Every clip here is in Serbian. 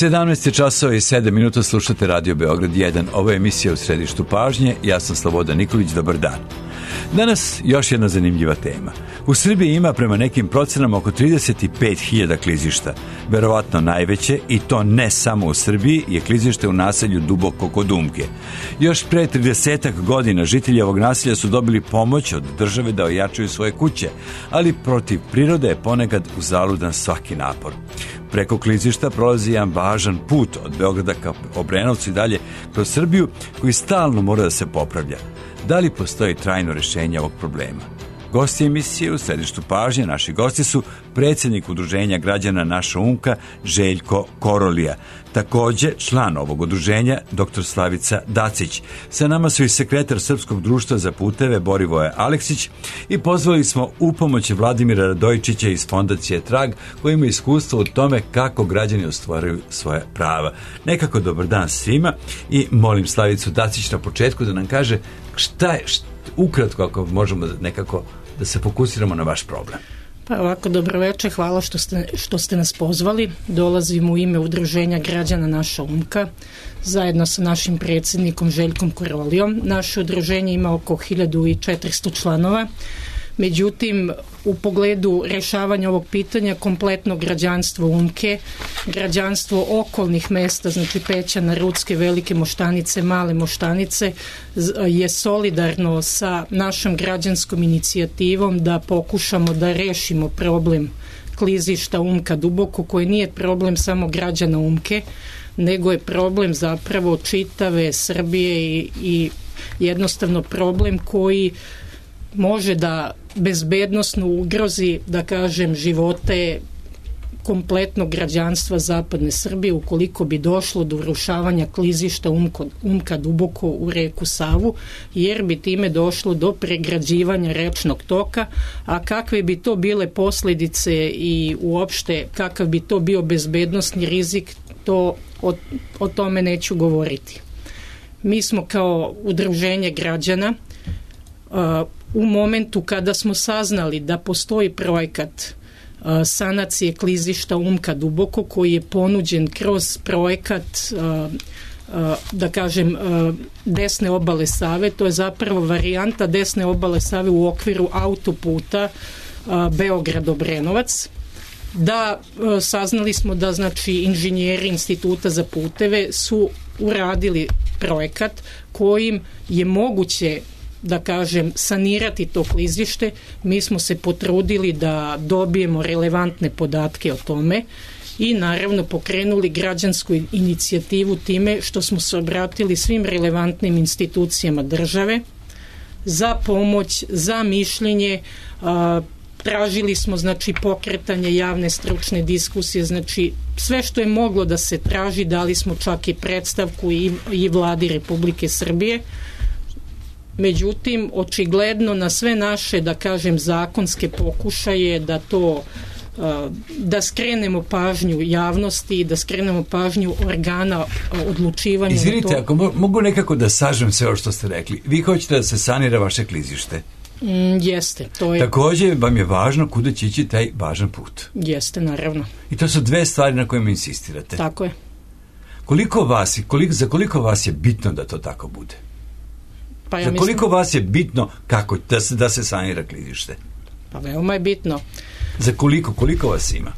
17 časova i 7 minuta, slušate Radio Beograd 1. Ovo je emisija U središtu pažnje. Ja sam Slobodan Nikolić, dobar dan. Danas još jedna zanimljiva tema. U Srbiji ima prema nekim procenama oko 35.000 klizišta. Verovatno najveće, i to ne samo u Srbiji, je klizište u naselju Duboko kod Umke. Još pre 30 godina žitelji ovog naselja su dobili pomoć od države da ojačaju svoje kuće, ali protiv prirode je ponekad uzaludan svaki napor. Preko klizišta prolazi jedan važan put od Beograda ka Obrenovcu i dalje kroz Srbiju, koji stalno mora da se popravlja. Da li postoji trajno rješenje ovog problema? Gosti emisije U središtu pažnje, naši gosti su predsjednik udruženja građana Naša Umka, Željko Korolija. Također član ovog udruženja, dr. Slavica Dacić. Sa nama su i sekretar Srpskog društva za puteve, Borivoje Aleksić, i pozvali smo u pomoć Vladimira Radojičića iz fondacije Trag, koji ima iskustvo u tome kako građani ostvaruju svoje prava. Nekako dobar dan svima i molim Slavicu Dacić na početku da nam kaže šta je, ukratko, ako možemo nekako da se fokusiramo na vaš problem. Pa ovako, dobro večer, hvala što ste nas pozvali. Dolazim u ime udruženja građana Naša Umka, zajedno sa našim predsjednikom Željkom Korolijom. Naše udruženje ima oko 1400 članova. Međutim, u pogledu rješavanja ovog pitanja, kompletno građanstvo Umke, građanstvo okolnih mesta, znači Pećana, Rucke, Velike Moštanice, Male Moštanice, je solidarno sa našom građanskom inicijativom da pokušamo da rešimo problem klizišta Umka Duboko, koji nije problem samo građana Umke, nego je problem zapravo čitave Srbije i jednostavno problem koji može da bezbednosno ugrozi, da kažem, živote kompletnog građanstva zapadne Srbije ukoliko bi došlo do urušavanja klizišta Umka Duboko u reku Savu, jer bi time došlo do pregrađivanja rečnog toka, a kakve bi to bile posljedice i uopšte kakav bi to bio bezbednosni rizik, to o tome neću govoriti. Mi smo kao udruženje građana u momentu kada smo saznali da postoji projekat sanacije klizišta Umka Duboko, koji je ponuđen kroz projekat, da kažem, desne obale Save, to je zapravo varijanta desne obale Save u okviru autoputa Beograd-Obrenovac, da saznali smo da, znači, inženjeri Instituta za puteve su uradili projekat kojim je moguće, da kažem, sanirati to klizište. Mi smo se potrudili da dobijemo relevantne podatke o tome i naravno pokrenuli građansku inicijativu time što smo se obratili svim relevantnim institucijama države za pomoć, za mišljenje. Tražili smo, znači, pokretanje javne stručne diskusije, znači sve što je moglo da se traži, dali smo čak i predstavku i vladi Republike Srbije. Međutim, očigledno na sve naše, da kažem, zakonske pokušaje da to, da skrenemo pažnju javnosti, da skrenemo pažnju organa odlučivanja. Izvinite, ako mogu nekako da sažem sve ovo što ste rekli. Vi hoćete da se sanira vaše klizište? Jeste, to je. Također vam je važno kuda će ići taj važan put. Jeste, naravno. I to su dve stvari na kojima insistirate. Tako je. Za koliko vas je bitno da to tako bude? Pa ja za koliko vas je bitno kako da se sanira klizište? Pa veoma je bitno. Za koliko vas ima?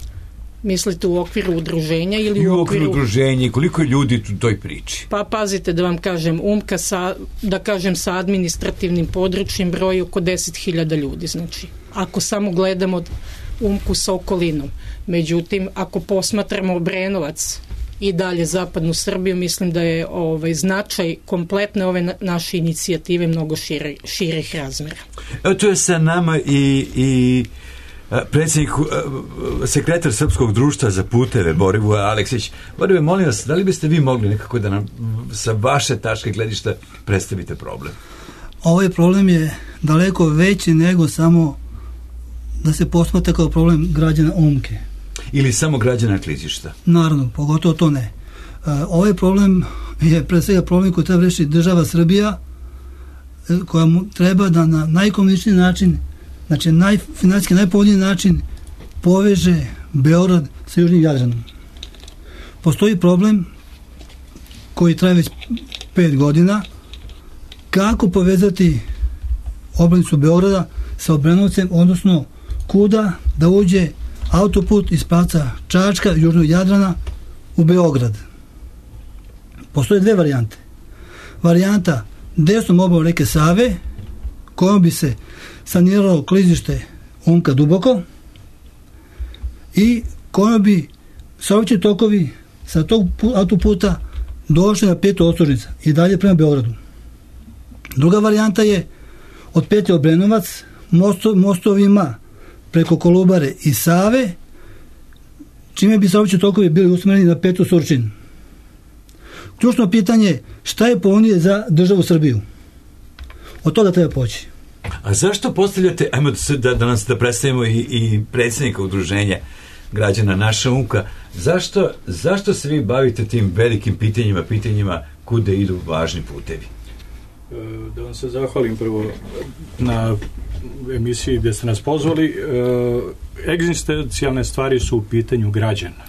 Mislite u okviru udruženja ili i u okviru udruženja, koliko je ljudi u toj priči? Pa pazite, da vam kažem, Umka sa administrativnim područjem broji oko 10.000 ljudi, znači ako samo gledamo Umku sa okolinom. Međutim, ako posmatramo Obrenovac i dalje zapadnu Srbiju, mislim da je značaj kompletne ove naše inicijative mnogo širih razmjera. Evo, tu je sa nama i predsjednik, sekretar Srpskog društva za puteve, Borivoje Aleksić. Borivoje, molim vas, da li biste vi mogli nekako da nam sa vaše tačke gledišta predstavite problem? Ovaj problem je daleko veći nego samo da se posmatra kao problem građana Umke. Ili samo građana klizišta? Naravno, pogotovo to ne. Ovaj problem je pre svega problem koji treba rešiti država Srbija, koja mu treba da na najkomuničniji način, znači finansijski najpovoljniji način, poveže Beograd sa južnim Jadranom. postoji problem koji traje već 5 godina, kako povezati obranicu Beograda sa Obrenovcem, odnosno kuda da uđe autoput iz pravca Čačka, južnog Jadrana u Beograd. Postoje 2 varijante. Varijanta desnom obalom reke Save, kojom bi se saniralo klizište Umka Duboko i kojom bi saobraćajni tokovi sa tog autoputa došli na petu Ostružnica i dalje prema Beogradu. Druga varijanta je od petlje Obrenovac mostovima preko Kolubare i Save, čime bi saobraćajni tokovi bili usmereni na petu Surčin. Ključno pitanje je šta je povoljnije za državu Srbiju. Od toga treba poći. A zašto postavljate, ajmo da predstavimo i predsjednika udruženja građana Naša Umka, zašto se vi bavite tim velikim pitanjima kude idu važni putevi? Da vam se zahvalim prvo na emisiji gdje ste nas pozvali. Egzistencijalne stvari su u pitanju građana.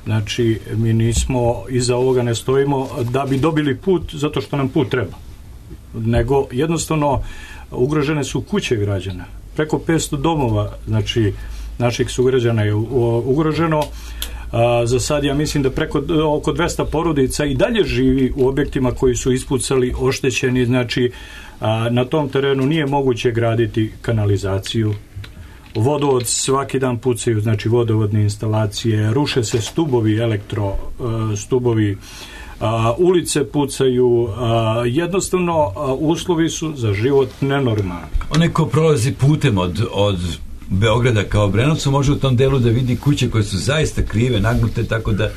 Znači, mi nismo, iza ovoga ne stojimo da bi dobili put zato što nam put treba. Nego, jednostavno, ugrožene su kuće građana. Preko 500 domova, znači, naših sugrađana je ugroženo. Za sad ja mislim da oko 200 porodica i dalje živi u objektima koji su ispucali, oštećeni, znači na tom terenu nije moguće graditi kanalizaciju. Vodovod svaki dan pucaju, znači vodovodne instalacije, ruše se stubovi, stubovi, ulice pucaju, jednostavno uslovi su za život nenormalni. Onaj ko prolazi putem od Beograda kao Obrenovcu može u tom delu da vidi kuće koje su zaista krive, nagnute, tako da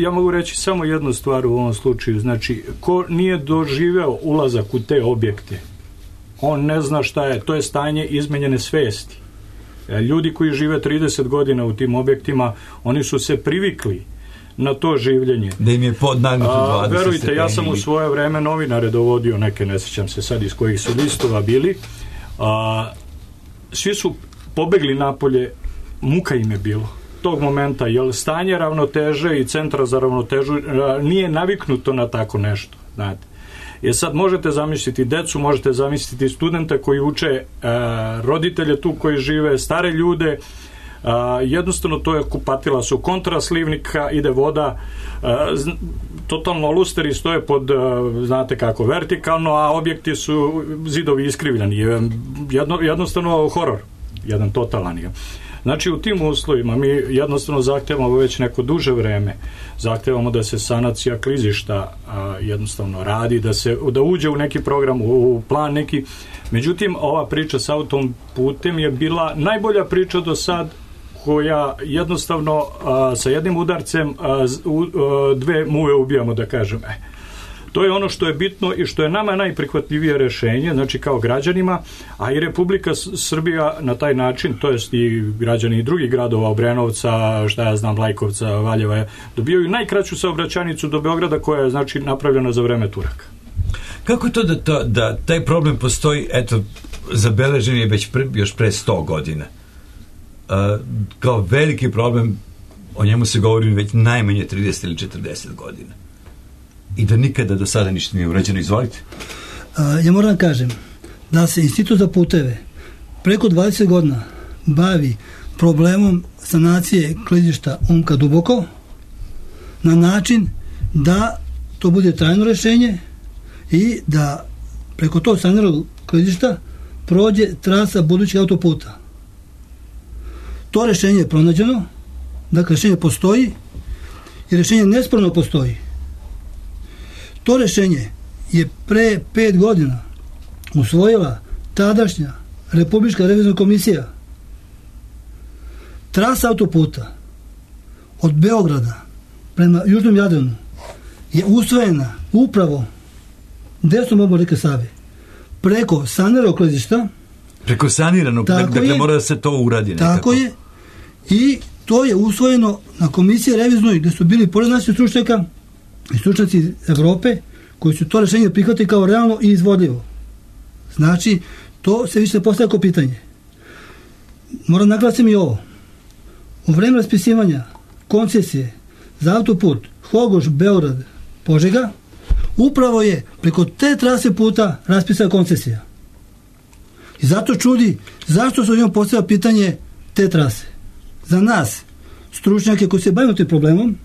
ja mogu reći samo jednu stvar u ovom slučaju. Znači, ko nije doživeo ulazak u te objekte, on ne zna šta je. To je stanje izmenjene svesti. Ljudi koji žive 30 godina u tim objektima, oni su se privikli na to življenje. Da im je podnagnuto 20 verujte, stepeni. ja sam u svoje vreme novinare dovodio, neke ne sjećam se sad iz kojih su listova bili. Svi su pobegli napolje, muka im je bilo tog momenta, jer stanje ravnoteže i centra za ravnotežu nije naviknuto na tako nešto, znate. Jer sad možete zamisliti decu, možete zamisliti studente koji uče, roditelje tu koji žive, stare ljude, jednostavno to je kupatila su kontra slivnika, ide voda, totalno lusteri stoje pod, znate kako, vertikalno, a objekti su zidovi iskrivljeni. Jednostavno horor, jedan totalan je. Znači, u tim uslovima mi jednostavno zahtevamo već neko duže vreme, zahtevamo da se sanacija klizišta jednostavno radi, da uđe u neki program, u plan neki. Međutim, ova priča sa autom putem je bila najbolja priča do sad, koja jednostavno sa jednim udarcem 2 muve ubijamo, da kažem. To je ono što je bitno i što je nama najprihvatljivije rešenje, znači kao građanima, a i Republika Srbija na taj način, to jest i građani i drugih gradova, Obrenovca, šta ja znam, Lajkovca, Valjeva, dobijaju najkraću saobraćajnicu do Beograda, koja je, znači, napravljena za vreme Turaka. Kako je to da taj problem postoji, eto, zabeležen je još pre 100 godina? Kao veliki problem, o njemu se govori već najmanje 30 ili 40 godina. I da nikada do sada ništa nije urađeno. Izvolite. Ja moram kažem da se Institut za puteve preko 20 godina bavi problemom sanacije klizišta Umka Duboko na način da to bude trajno rešenje i da preko tog saniranog klizišta prođe trasa budućeg autoputa. To rešenje je pronađeno, dakle rešenje postoji i rešenje nesporno postoji. To rešenje je pre 5 godina usvojila tadašnja Republička revizorna komisija. Trasa autoputa od Beograda prema južnom Jadranu je usvojena upravo desnom obalom reke Save preko saniranog klizišta. Preko saniranog, dakle mora da se to uradi nekako. Tako je, i to je usvojeno na komisiji revizornoj gde su bili pored naših stručnjaka i stručnjaci Evrope koji su to rešenje prihvatili kao realno i izvodljivo. Znači, to se više postavlja kao pitanje. Moram naglasiti i ovo. u vreme raspisivanja koncesije za autoput Hogoš, Beograd, Požega, upravo je preko te trase puta raspisana koncesija. I zato čudi zašto se njom postavlja pitanje te trase. Za nas, stručnjake koji se bavimo tim problemom,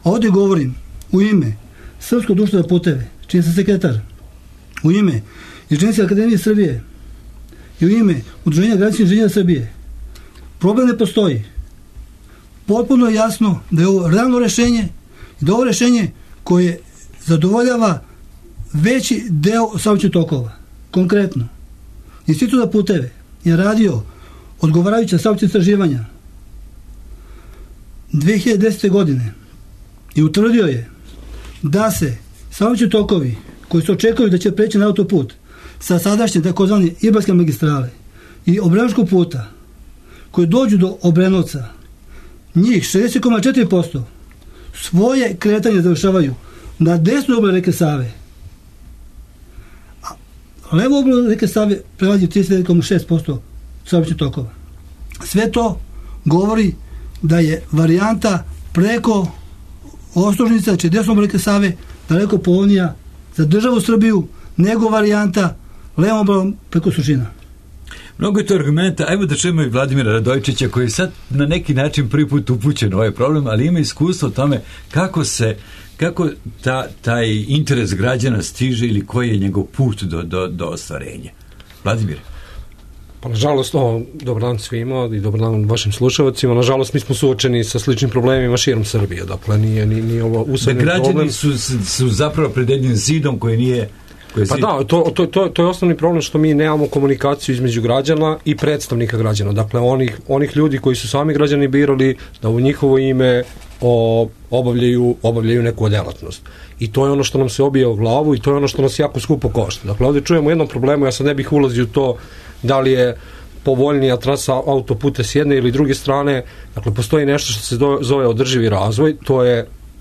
a ovdje govorim u ime Srpskog društva za puteve, čiji sam sekretar, u ime Inženjerske akademije Srbije i u ime Udruženja građevinskih inženjera Srbije, problem ne postoji. Potpuno je jasno da je ovo realno rešenje i da je ovo rešenje koje zadovoljava veći deo saobraćajnih tokova. Konkretno, Institut za puteve je radio odgovarajuća saobraćajna istraživanja 2010. godine i utvrdio je da se saobraćajni tokovi koji se očekuju da će preći na autoput sa sadašnje takozvane Ibarske magistrale i Obrenovačkog puta koji dođu do Obrenovca, njih 60,4% svoje kretanje završavaju na desnoj obali reke Save. A levo obali reke Save prelazi 39,6% saobraćajnih tokova. Sve to govori da je varijanta preko Ostružnica, znači desno obali reke Save, daleko povoljnija za državu Srbiju nego varijanta levom obalom preko Surčina. Mnogo je to argumenta. Ajmo da čujemo i Vladimira Radojčića koji je sad na neki način prvi put upućen u ovaj problem, ali ima iskustvo o tome kako taj interes građana stiže ili koji je njegov put do ostvarenja. Vladimir. Pa nažalost, dobar dan svima i dobar dan vašim slušalcima. Nažalost, mi smo suočeni sa sličnim problemima širom Srbije. Dakle, nije ovo usadni problem. Da građani su zapravo pred jednim zidom koji nije... Pa da, to je osnovni problem što mi nemamo komunikaciju između građana i predstavnika građana. Dakle, onih ljudi koji su sami građani birali da u njihovo ime obavljaju neku delatnost. I to je ono što nam se obija u glavu i to je ono što nas jako skupo košta. Dakle, ovdje čujemo jednom problemu, ja sad ne bih ulazio u to da li je povoljnija trasa autoputa s jedne ili druge strane. Dakle, postoji nešto što se zove održivi razvoj,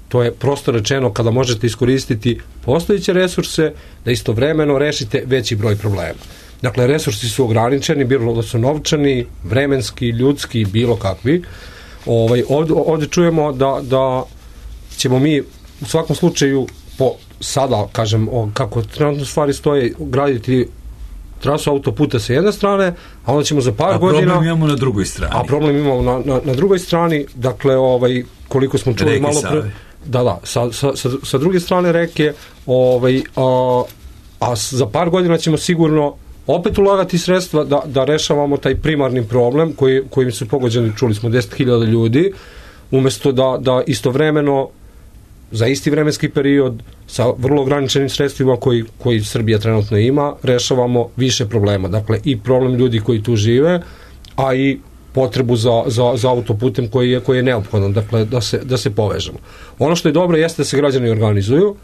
to je prosto rečeno kada možete iskoristiti postojeće resurse da istovremeno rešite veći broj problema. Dakle, resursi su ograničeni, bilo da su novčani, vremenski, ljudski, bilo kakvi. Ovdje čujemo da ćemo mi u svakom slučaju sada, kažem, kako trenutno stvari stoje, graditi trasu autoputa sa jedne strane, a onda ćemo za par godina... A problem imamo na drugoj strani. A problem imamo na drugoj strani, dakle, koliko smo čuli malo pre... Da, sa druge strane reke, a za par godina ćemo sigurno opet ulagati sredstva da rešavamo taj primarni problem kojim su pogođeni, čuli smo, 10.000 ljudi, umjesto da istovremeno za isti vremenski period sa vrlo ograničenim sredstvima koji Srbija trenutno ima, rešavamo više problema. Dakle, i problem ljudi koji tu žive, a i potrebu za autoputem koji je neophodan, dakle, da se povežemo. Ono što je dobro jeste da se građani organizuju,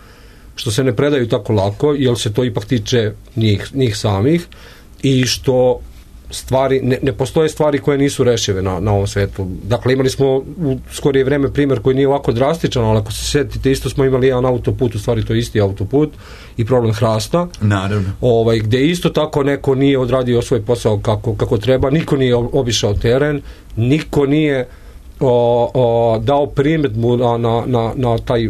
što se ne predaju tako lako, jer se to ipak tiče njih samih i što ne postoje stvari koje nisu rešive na ovom svetu. Dakle, imali smo u skorije vreme primjer koji nije ovako drastičan, ali ako se sjetite, isto smo imali jedan autoput, u stvari to je isti autoput i problem hrasta. Naravno. Gde isto tako neko nije odradio svoj posao kako treba, niko nije obišao teren, niko nije dao primjedbu na taj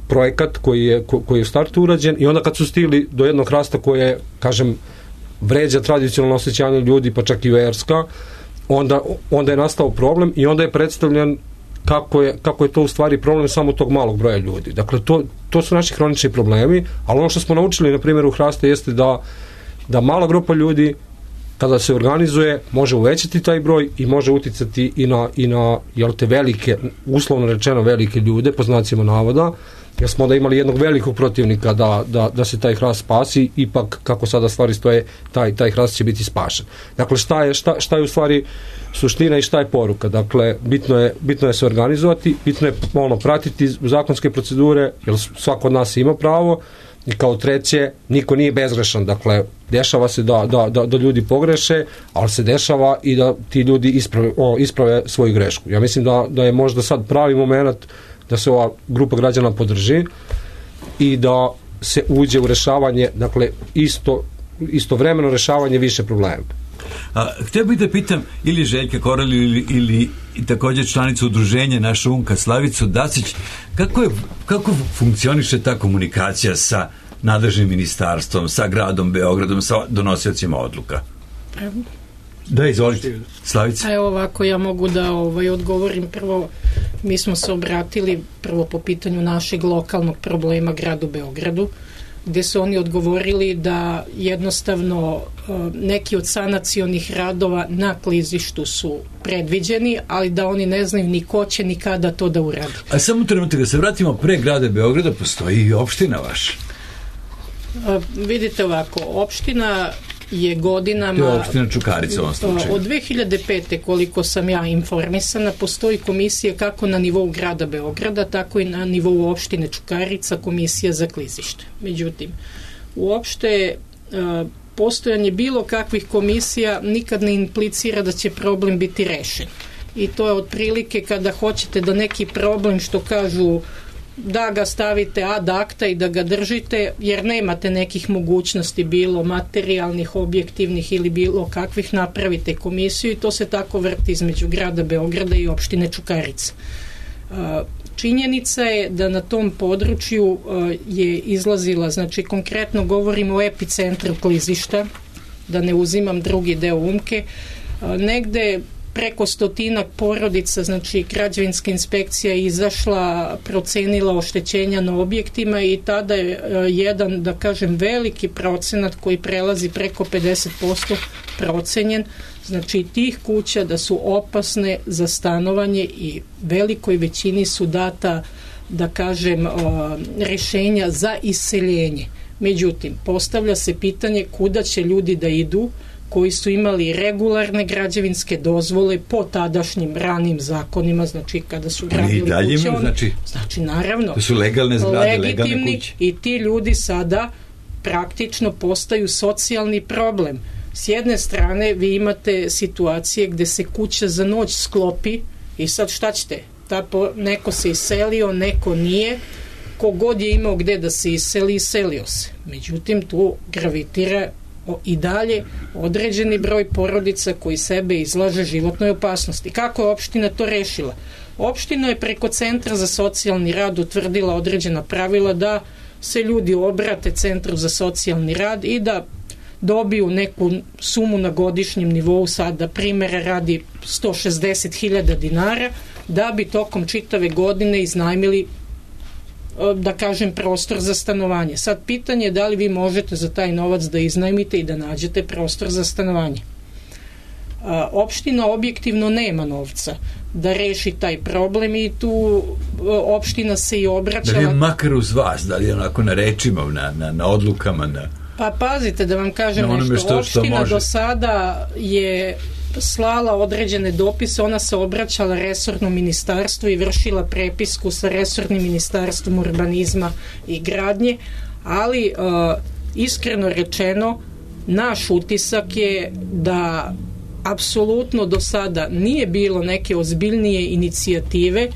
projekat koji je u startu urađen i onda kad su stigli do jednog hrasta koje, kažem, vređa tradicionalno osjećanje ljudi, pa čak i verska, onda je nastao problem i onda je predstavljen kako je to u stvari problem samo tog malog broja ljudi. Dakle, to su naši hronični problemi, ali ono što smo naučili, na primjer, u Hraste jeste da mala grupa ljudi, kada se organizuje, može uvećati taj broj i može uticati i na jel te velike, uslovno rečeno velike ljude, po znacima navoda, jer smo da imali jednog velikog protivnika da se taj hrast spasi, ipak kako sada stvari stoje, taj hrast će biti spašen. Dakle, šta je u stvari suština i šta je poruka? Dakle, bitno je se organizovati, bitno je pratiti zakonske procedure, jer svako od nas ima pravo, i kao treće, niko nije bezgrešan. Dakle, dešava se da ljudi pogreše, ali se dešava i da ti ljudi isprave svoju grešku. Ja mislim da je možda sad pravi moment da se ova grupa građana podrži i da se uđe u rešavanje, dakle, istovremeno rešavanje više problema. Htio bih da pitam ili Željka Koralju ili također članicu udruženja naša Unka Slavicu Dacić, kako funkcioniše ta komunikacija sa nadležnim ministarstvom, sa gradom Beogradom, sa donosiocima odluka? Da, izvolite, Slavica. Evo ovako, ja mogu da odgovorim. Prvo, mi smo se obratili prvo po pitanju našeg lokalnog problema gradu Beogradu, gdje su oni odgovorili da jednostavno neki od sanacionih radova na klizištu su predviđeni, ali da oni ne znaju ni ko će ni kada to da uradi. A samo trenutak, da se vratimo pre grada Beograda, postoji i opština vaša. Vidite ovako, opština je godinama... To je opština Čukarica u ovom slučaju. Od 2005. koliko sam ja informisana, postoji komisija kako na nivou grada Beograda, tako i na nivou opštine Čukarica, komisija za klizište. Međutim, uopšte postojanje bilo kakvih komisija nikad ne implicira da će problem biti rešen. I to je otprilike kada hoćete da neki problem, što kažu, da ga stavite ad acta i da ga držite, jer nemate nekih mogućnosti, bilo materijalnih, objektivnih ili bilo kakvih, napravite komisiju i to se tako vrti između grada Beograda i opštine Čukarica. Činjenica je da na tom području je izlazila, znači konkretno govorimo o epicentru klizišta, da ne uzimam drugi deo Umke, negde preko 100 porodica, znači građevinska inspekcija je izašla, procenila oštećenja na objektima i tada je jedan, da kažem, veliki procenat koji prelazi preko 50% procenjen, znači tih kuća da su opasne za stanovanje i velikoj većini su data, da kažem, rešenja za iseljenje. Međutim, postavlja se pitanje kuda će ljudi da idu koji su imali regularne građevinske dozvole po tadašnjim ranim zakonima, znači kada su gradili kuće, znači naravno to su legalne zgrade, legitimni kuće. I ti ljudi sada praktično postaju socijalni problem. S jedne strane vi imate situacije gde se kuća za noć sklopi i sad šta ćete? Neko se iselio, neko nije, kogod je imao gde da se iseli, iselio se. Međutim, tu gravitira i dalje određeni broj porodica koji sebe izlaže životnoj opasnosti. Kako je opština to rešila? Opština je preko Centra za socijalni rad utvrdila određena pravila da se ljudi obrate Centru za socijalni rad i da dobiju neku sumu na godišnjem nivou, sada primjera radi 160.000 dinara, da bi tokom čitave godine iznajmili, da kažem, prostor za stanovanje. Sad pitanje je da li vi možete za taj novac da iznajmite i da nađete prostor za stanovanje. Opština objektivno nema novca da reši taj problem i tu opština se i obraćala... Da li je makar uz vas, da li je onako na rečima, na odlukama, Pa pazite, da vam kažem nešto. Opština do sada je slala određene dopise, ona se obraćala resornom ministarstvu i vršila prepisku sa resornim ministarstvom urbanizma i gradnje, ali iskreno rečeno naš utisak je da apsolutno do sada nije bilo neke ozbiljnije inicijative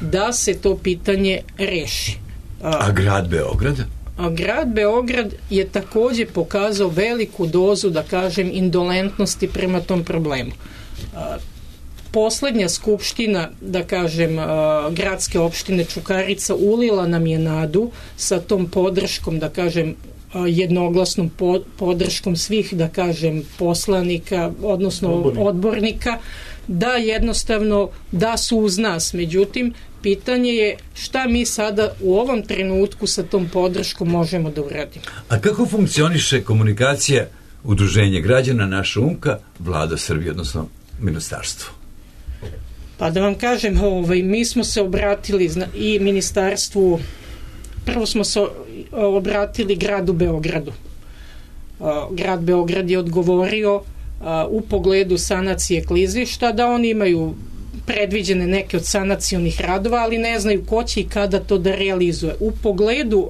da se to pitanje reši. A grad Beograd? A grad Beograd je takođe pokazao veliku dozu, da kažem, indolentnosti prema tom problemu. Poslednja skupština, da kažem, gradske opštine Čukarica ulila nam je nadu sa tom podrškom, da kažem, jednoglasnom podrškom svih, da kažem, poslanika, odnosno odbornika, da jednostavno da su uz nas. Međutim, pitanje je šta mi sada u ovom trenutku sa tom podrškom možemo da uradimo. A kako funkcioniše komunikacija Udruženje građana Naša Umka, Vlada Srbije, odnosno ministarstvo? Pa da vam kažem, mi smo se obratili i ministarstvu, prvo smo se obratili gradu Beogradu. Grad Beograd je odgovorio u pogledu sanacije klizišta da oni imaju predviđene neke od sanacionih radova, ali ne znaju ko će i kada to da realizuje. U pogledu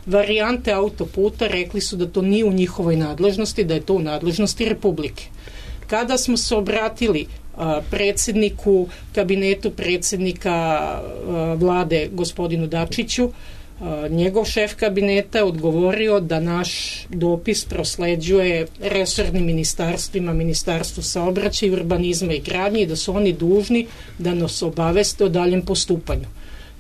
varijante autoputa rekli su da to nije u njihovoj nadležnosti, da je to u nadležnosti Republike. Kada smo se obratili kabinetu predsednika vlade gospodinu Dačiću, Njegov šef kabineta odgovorio da naš dopis prosleđuje resornim ministarstvima, Ministarstvu saobraćaja, urbanizma i gradnje, i da su oni dužni da nas obaveste o daljem postupanju.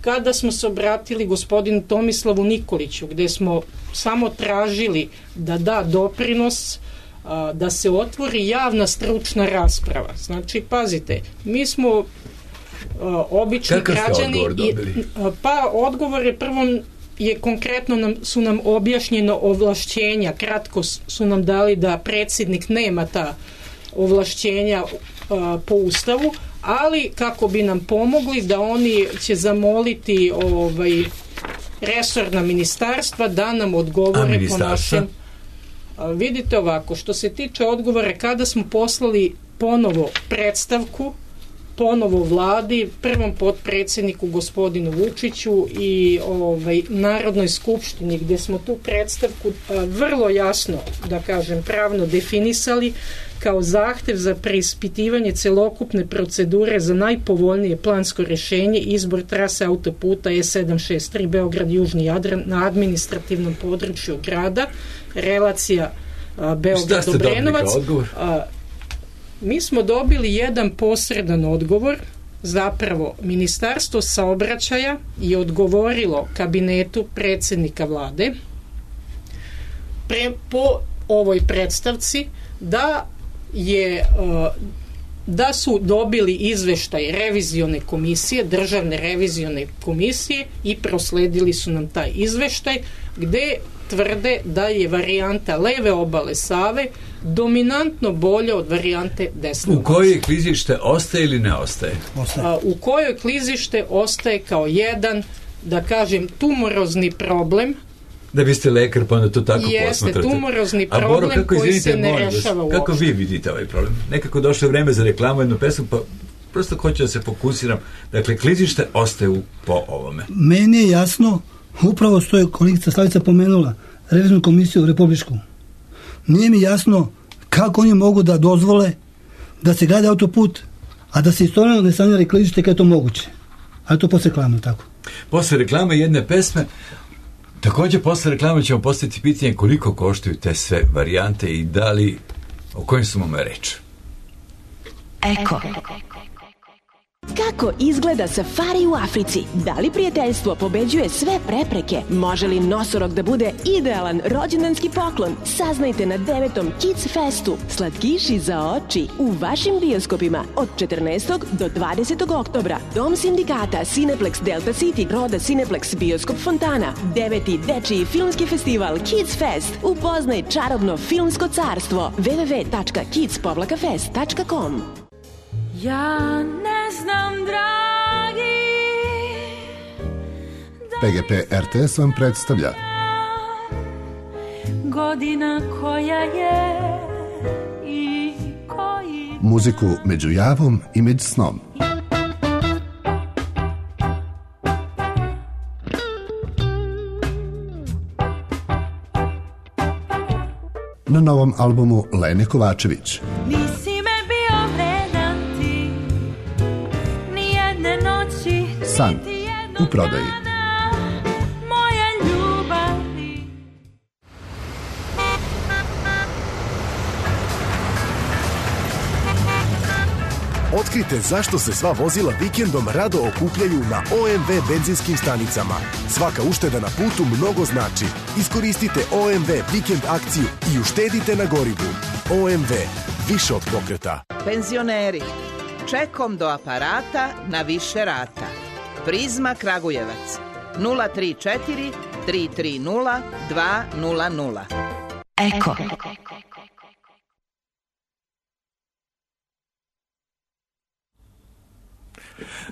Kada smo se obratili gospodinu Tomislavu Nikoliću, gde smo samo tražili da da doprinos, da se otvori javna stručna rasprava. Znači, pazite, mi smo obični građani. Odgovor je prvom konkretno su nam objašnjeno ovlašćenja, kratko su nam dali da predsjednik nema ta ovlašćenja po Ustavu, ali kako bi nam pomogli da oni će zamoliti resorna ministarstva da nam odgovore po našem. Vidite ovako, što se tiče odgovora, kada smo poslali ponovo predstavku, ponovo vladi, prvom potpredsjedniku gospodinu Vučiću i Narodnoj skupštini, gdje smo tu predstavku vrlo jasno, da kažem, pravno definisali kao zahtev za preispitivanje celokupne procedure za najpovoljnije plansko rješenje, izbor trase autoputa E763 Beograd-Južni Jadran na administrativnom području grada, relacija Beograd-Obrenovac. Mi smo dobili jedan posredan odgovor, zapravo Ministarstvo saobraćaja je odgovorilo kabinetu predsjednika vlade po ovoj predstavci da su dobili izveštaj revizione komisije, državne revizione komisije, i prosledili su nam taj izveštaj gde tvrde da je varijanta leve obale Save dominantno bolja od varijante desne. U kojoj klizište ostaje ili ne ostaje? U kojoj klizište ostaje kao jedan, da kažem, tumorozni problem. Da biste lekar, pa onda to tako posmatrate. Jeste, tumorozni problem koji se ne rešava uopšte. Kako vi vidite ovaj problem? Nekako došlo vreme za reklamu, jednu pesmu, pa prosto hoću da se fokusiram. Dakle, klizište ostaje po ovome. Meni je jasno, upravo što je kolegica Slavica pomenula, revizijnu komisiju republičku. Nije mi jasno kako oni mogu da dozvole da se grade autoput, a da se istovremeno ne sanira klizište kada je to moguće. Ali to posle reklame, tako. Posle reklame jedne pesme, također posle reklame ćemo postaviti pitanje koliko koštaju te sve varijante i da li, o kojim su mome reč. Eko. Kako izgleda safari u Africi? Da li prijateljstvo pobeđuje sve prepreke? Može li nosorog da bude idealan rođendanski poklon? Saznajte na 9. Kids Festu. Slatkiši za oči u vašim bioskopima od 14. do 20. oktobra. Dom sindikata Cineplex Delta City, Roda Cineplex Bioskop Fontana. 9. dečiji filmski festival Kids Fest. Upoznaj čarobno filmsko carstvo. www.kids-fest.com. Ja ne znam, dragi, PGP RTS vam predstavlja godina koja je i koji muziku među javom i među snom. Na novom albumu Lene Kovačević. San u prodaji. Otkrite zašto se sva vozila vikendom rado okupljaju na OMV benzinskim stanicama. Svaka ušteda na putu mnogo znači. Iskoristite OMV vikend akciju i uštedite na gorivu. OMV, više od pokreta. Penzioneri, čekom do aparata na više rata. Prizma Kragujevac 034 330 200. Eko.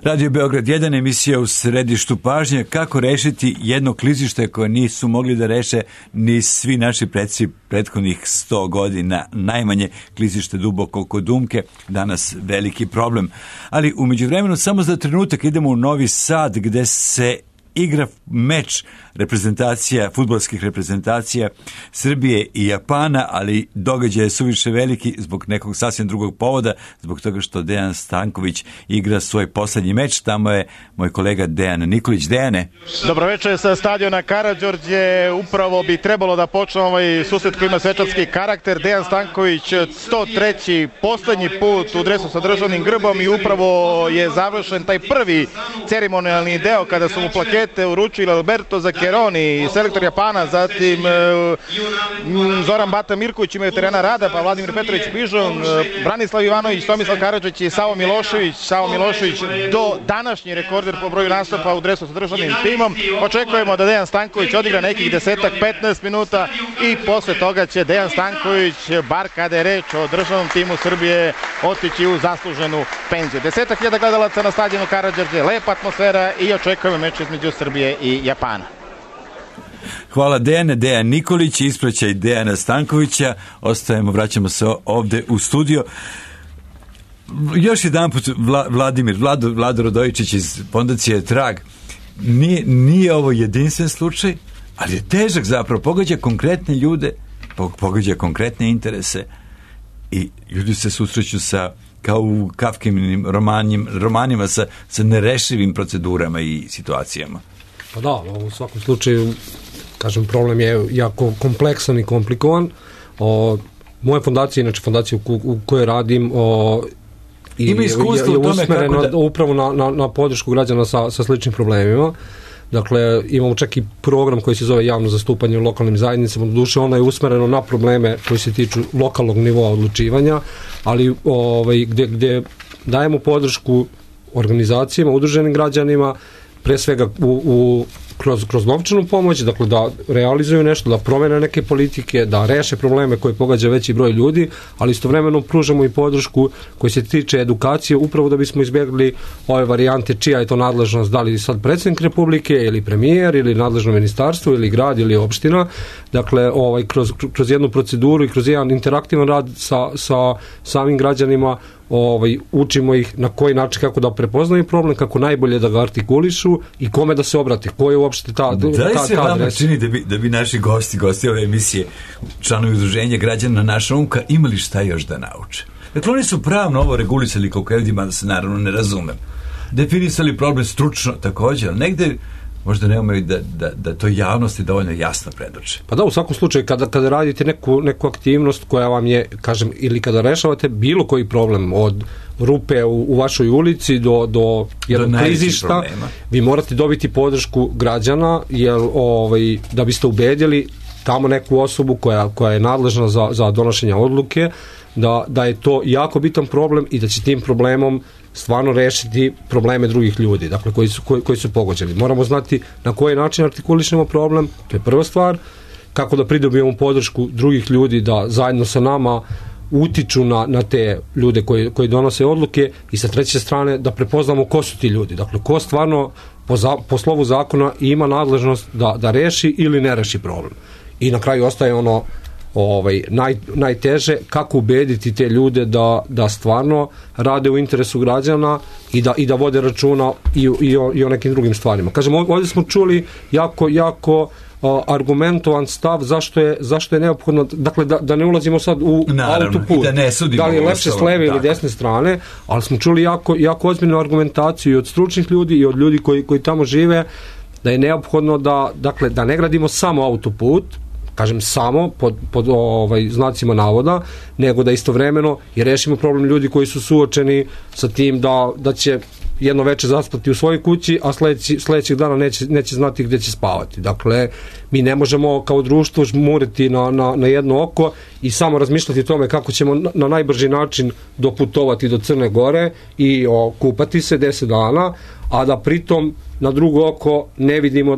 Radio Beograd 1, emisija u središtu pažnje, kako rešiti jedno klizište koje nisu mogli da reše ni svi naši predsi prethodnih 100 godina, najmanje klizište duboko kod Umke, danas veliki problem. Ali u međuvremenu samo za trenutak idemo u Novi Sad, gde se igra meč reprezentacija, fudbalskih reprezentacija Srbije i Japana, ali događaj je suviše veliki zbog nekog sasvim drugog povoda, zbog toga što Dejan Stanković igra svoj poslednji meč. Tamo je moj kolega Dejan Nikolić. Dejane. Dobroveče sa stadiona Karađorđe. Upravo bi trebalo da počne ovaj susret koji ima svečarski karakter. Dejan Stanković 103. poslednji put u dresu sa državnim grbom i upravo je završen taj prvi ceremonijalni deo kada su mu plakete uručili Alberto Zaccheroni, selektor Japana, zatim Zoran Bata Mirković imaju terena rada, pa Vladimir Petrović Pižon, Branislav Ivanović, Tomislav Karadžić i Savo Milošević. Savo Milošević do današnji rekorder po broju nastupa u dresu sa državnim timom. Očekujemo da Dejan Stanković odigra nekih 10-15 minuta i posle toga će Dejan Stanković, bar kada je reč o državnom timu Srbije, otići u zasluženu penziju. 10.000 gledalaca na stadionu Karađorđe, lepa atmosfera i očekujemo meč između Srbije i Japana. Hvala Dejane. Dejan Nikolić, ispraćaj Dejana Stankovića. Ostajemo, vraćamo se ovde u studio. Još jedan put Vlado Radojičić iz fondacije Trag. Nije ovo jedinstven slučaj, ali je težak zapravo. Pogađa konkretne ljude, pogađa konkretne interese i ljudi se susreću sa, kao u Kafkinim romanima sa nerešivim procedurama i situacijama. Pa da, u svakom slučaju, kažem, problem je jako kompleksan i komplikovan. Moja fondacija, inače fondacija u kojoj radim, ima iskustvo u tome kako da... upravo na podršku građana sa sličnim problemima. Dakle, imamo čak i program koji se zove javno zastupanje u lokalnim zajednicama. Doduše, ono je usmereno na probleme koji se tiču lokalnog nivoa odlučivanja, ali gde dajemo podršku organizacijama, udruženim građanima, pre svega kroz novčanu pomoć, dakle da realizuju nešto, da promene neke politike, da reše probleme koje pogađa veći broj ljudi, ali istovremeno pružamo i podršku koji se tiče edukacije, upravo da bismo izbjegli ove varijante čija je to nadležnost, da li sad predsjednik Republike ili premijer ili nadležno ministarstvo ili grad ili opština. Dakle, kroz jednu proceduru i kroz jedan interaktivan rad sa samim građanima učimo ih na koji način, kako da prepoznaju problem, kako najbolje da ga artikulišu i kome da se obrate, ko je uopšte ta adresa. Da li se vama čini da bi naši gosti ove emisije, članovi udruženja građana Naša umka, imali šta još da nauče? Dakle, oni su pravno ovo regulisali koliko je vidima, da se naravno ne razumem. Definisali problem stručno također, ali negde možda ne umaju da to javnosti dovoljno jasno predoče. Pa da, u svakom slučaju, kada radite neku aktivnost koja vam je, kažem, ili kada rešavate bilo koji problem, od rupe u vašoj ulici do jednog klizišta, vi morate dobiti podršku građana, jer da biste ubedili tamo neku osobu koja je nadležna za donošenje odluke, da je to jako bitan problem i da će tim problemom stvarno rešiti probleme drugih ljudi, dakle koji su pogođeni. Moramo znati na koji način artikulišemo problem, to je prva stvar, kako da pridobijemo podršku drugih ljudi da zajedno sa nama utiču na te ljude koji donose odluke i sa treće strane da prepoznamo ko su ti ljudi, dakle ko stvarno po slovu zakona ima nadležnost da reši ili ne reši problem. I na kraju ostaje ono najteže, kako ubediti te ljude da stvarno rade u interesu građana i da vode računa i o nekim drugim stvarima. Kažem, ovdje smo čuli jako argumentovan stav zašto je neophodno, dakle da ne ulazimo sad u autoput, da li je lepše s leve ili desne strane, ali smo čuli jako ozbiljnu argumentaciju i od stručnih ljudi i od ljudi koji tamo žive, da je neophodno da ne gradimo samo autoput, kažem samo pod znacima navoda, nego da istovremeno i rešimo problem ljudi koji su suočeni sa tim da će jedno veče zaspati u svojoj kući, a sledećeg dana neće znati gde će spavati. Dakle, mi ne možemo kao društvo žmuriti na jedno oko i samo razmišljati o tome kako ćemo na najbrži način doputovati do Crne Gore i kupati se 10 dana, a da pritom na drugo oko ne vidimo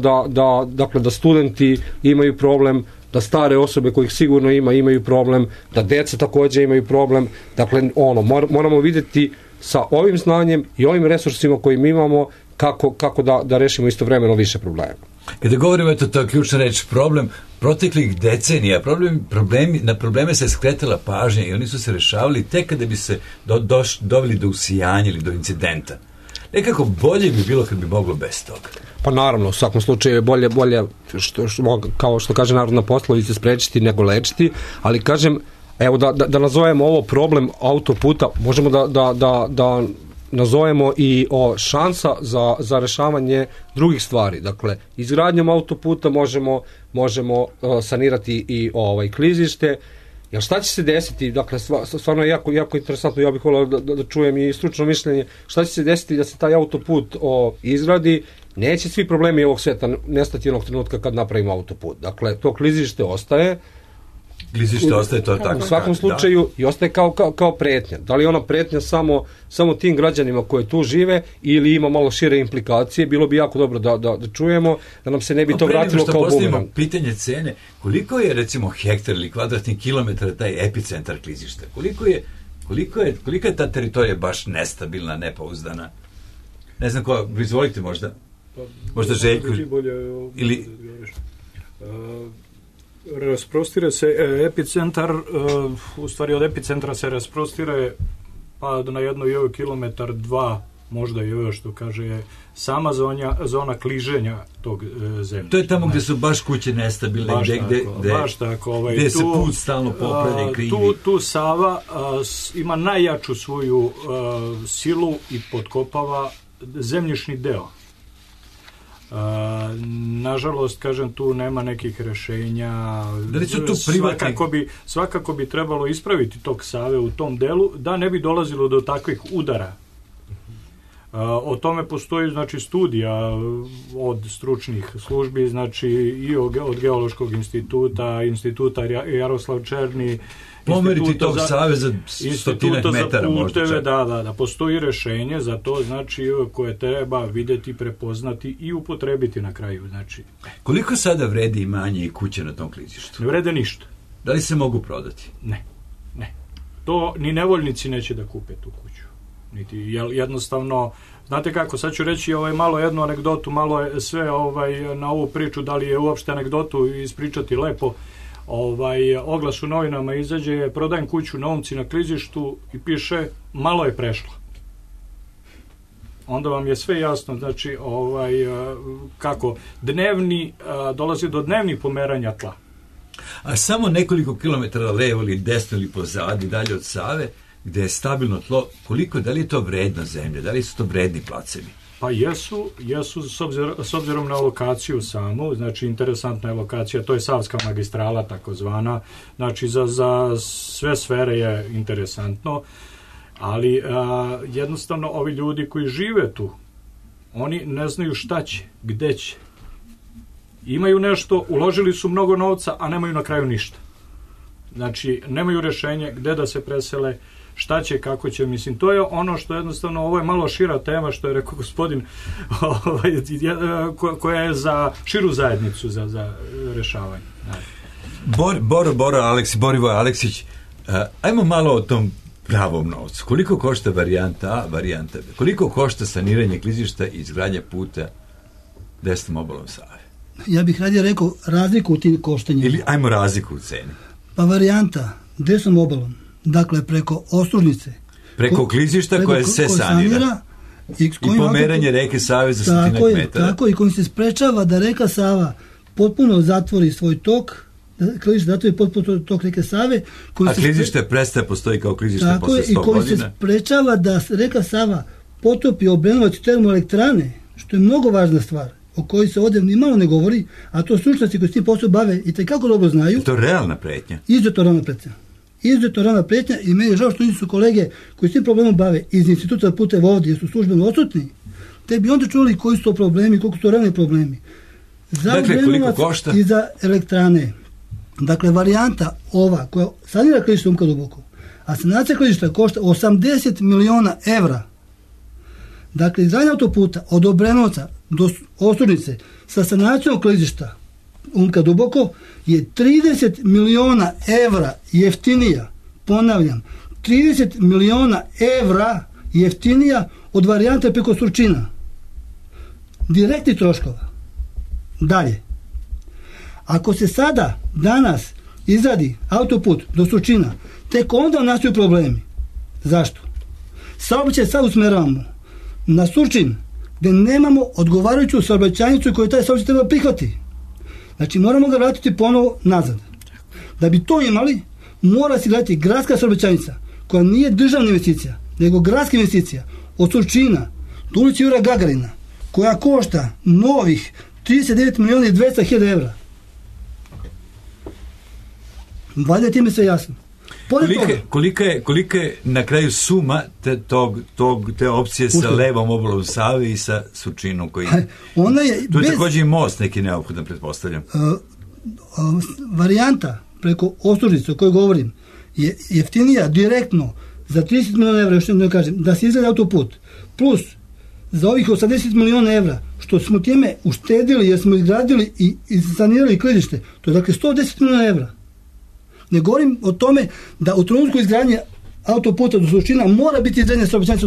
da studenti imaju problem, da stare osobe kojih sigurno imaju problem, da deca također imaju problem. Dakle, moramo vidjeti sa ovim znanjem i ovim resursima koje mi imamo kako da rešimo istovremeno više problema. Kada govorimo, to je ključna reč, problem proteklih decenija, na probleme se skretala pažnja i oni su se rešavali tek kada bi se doveli do usijanja ili do incidenta. Nekako bolje bi bilo kad bi moglo bez toga. Pa naravno, u svakom slučaju je bolje kao što kaže narodna poslovica, sprečiti nego lečiti, ali kažem, evo da nazovemo ovo problem autoputa, možemo da nazovemo i šansa za rešavanje drugih stvari. Dakle, izgradnjom autoputa možemo sanirati i klizište. Jer šta će se desiti, dakle, stvarno je jako interesantno, ja bih volio da čujem i stručno mišljenje, šta će se desiti da se taj autoput izgradi, neće svi problemi ovog sveta nestati onog trenutka kad napravimo autoput. Dakle, to klizište ostaje. Klizište ostaje to tako. U svakom slučaju i ostaje kao pretnja. Da li je ona pretnja samo tim građanima koji tu žive ili ima malo šire implikacije, bilo bi jako dobro da čujemo, da nam se ne bi to vratilo kao bumerang. Pitanje cene, koliko je recimo hektar ili kvadratni kilometar taj epicentar klizišta? Kolika je ta teritorija baš nestabilna, nepouzdana? Ne znam ko, izvolite možda Željko ili... Rasprostire se epicentar, u stvari od epicentra se rasprostire pa na 1 kilometar, 2, možda i još, što kaže, sama zona kliženja tog zemljišta. To je tamo gde su baš kuće nestabilne, gde se put stalno popravlja i krivi. Tu Sava ima najjaču svoju silu i potkopava zemljišni deo. Nažalost, kažem, tu nema nekih rešenja. Da li su tu privatni? Svakako bi trebalo ispraviti tok Save u tom delu, da ne bi dolazilo do takvih udara. O tome postoji, znači, studija od stručnih službi, znači i od Geološkog instituta Jaroslav Černi, pomeriti tog Save za 100 metara možda. Da, postoji rešenje za to, znači, koje treba videti, prepoznati i upotrebiti na kraju, znači. Koliko sada vredi imanje i kuće na tom klizištu? Ne vrede ništa. Da li se mogu prodati? Ne. To ni nevoljnici neće da kupe tu kuću. Niti, jednostavno, znate kako, sad ću reći malo jednu anegdotu, malo je sve na ovu priču, da li je uopšte anegdotu ispričati lepo. Oglas u novinama izađe, prodajem kuću na Umci na klizištu i piše, malo je prešla. Onda vam je sve jasno, znači, kako dolazi do dnevnih pomeranja tla. A samo nekoliko kilometara levo ili desno ili pozadi, dalje od Save, gde je stabilno tlo, da li je to vredna zemlja, da li su to vredni placevi? Pa jesu s obzirom na lokaciju samu, znači interesantna je lokacija, to je Savska magistrala takozvana, znači za sve sfere je interesantno, ali jednostavno ovi ljudi koji žive tu, oni ne znaju šta će, gde će. Imaju nešto, uložili su mnogo novca, a nemaju na kraju ništa. Znači, nemaju rešenje gde da se presele, šta će, kako će, mislim, to je ono što jednostavno, ovo je malo šira tema, što je rekao gospodin, koja je za širu zajednicu za rešavanje. Borivoje Aleksić, ajmo malo o tom pravom novcu. Koliko košta varijanta A, varijanta B? Koliko košta saniranje klizišta i izgradnja puta desnom obalom Save? Ja bih radije rekao razliku u tim koštanjima. Ili ajmo razliku u ceni. Pa varijanta desnom obalom, dakle preko Ostružnice, preko klizišta koje se sanira i pomeranje reke Save za 100 metara. Tako, i kojim se sprečava da reka Sava potpuno zatvori svoj tok, klizište zatvori potpuno tok reke Save. A klizište prestaje postoji kao klizište posle 100 godina. I koji se sprečava da reka Sava potopi Obrenovac termoelektrane, što je mnogo važna stvar, o kojoj se ovdje ni malo ne govori, a to stručnjaci koji s tim posao bave i tekako dobro znaju. Je to realna pretnja? Izuzetno realna pretnja i meni je žao što nisu kolege koji s tim problemom bave iz instituta za puteve ovdje, jer su službeno odsutni, te bi onda čuli koji su to problemi, koliko su to realni problemi. Dakle, koliko košta? I za elektrane. Dakle, varijanta ova koja sanira klizište Umka duboko, a sanacija klizišta košta 80 miliona evra. Dakle, izgradnja autoputa od Obrenovca do Ostružnice sa sanacijom klizišta Umka duboko je 30 miliona evra jeftinija, ponavljam, 30 miliona evra jeftinija od varijante preko Surčina. Direktni troškova. Dalje. Ako se sada, danas, izradi autoput do Surčina, tek onda nastaju problemi. Zašto? Saobraćaj sad usmeravamo na Surčin, gde nemamo odgovarajuću saobraćajnicu koju taj saobraćaj treba prihvati. Znači, moramo ga vratiti ponovo nazad. Da bi to imali, mora se gledati gradska saobraćajnica, koja nije državna investicija, nego gradska investicija, od Surčina do ulici Jura Gagarina, koja košta novih 39 miliona i 200 hiljada evra. Valjda je time sve jasno. Kolika je na kraju suma te opcije sa levom obalom Save i sa Surčinom koji... Tu je također i most neki neophodan, pretpostavljam. Varijanta preko Ostružnice o kojoj govorim je jeftinija direktno za 30 miliona evra, još ne kažem, da se izgleda autoput, plus za ovih 80 miliona evra, što smo time uštedili jer smo izgradili i sanirali klizište, to je dakle 110 miliona evra. Ne govorim o tome da u trenutku izgradnje autoputa do Surčina mora biti izgradnja saobraćajnica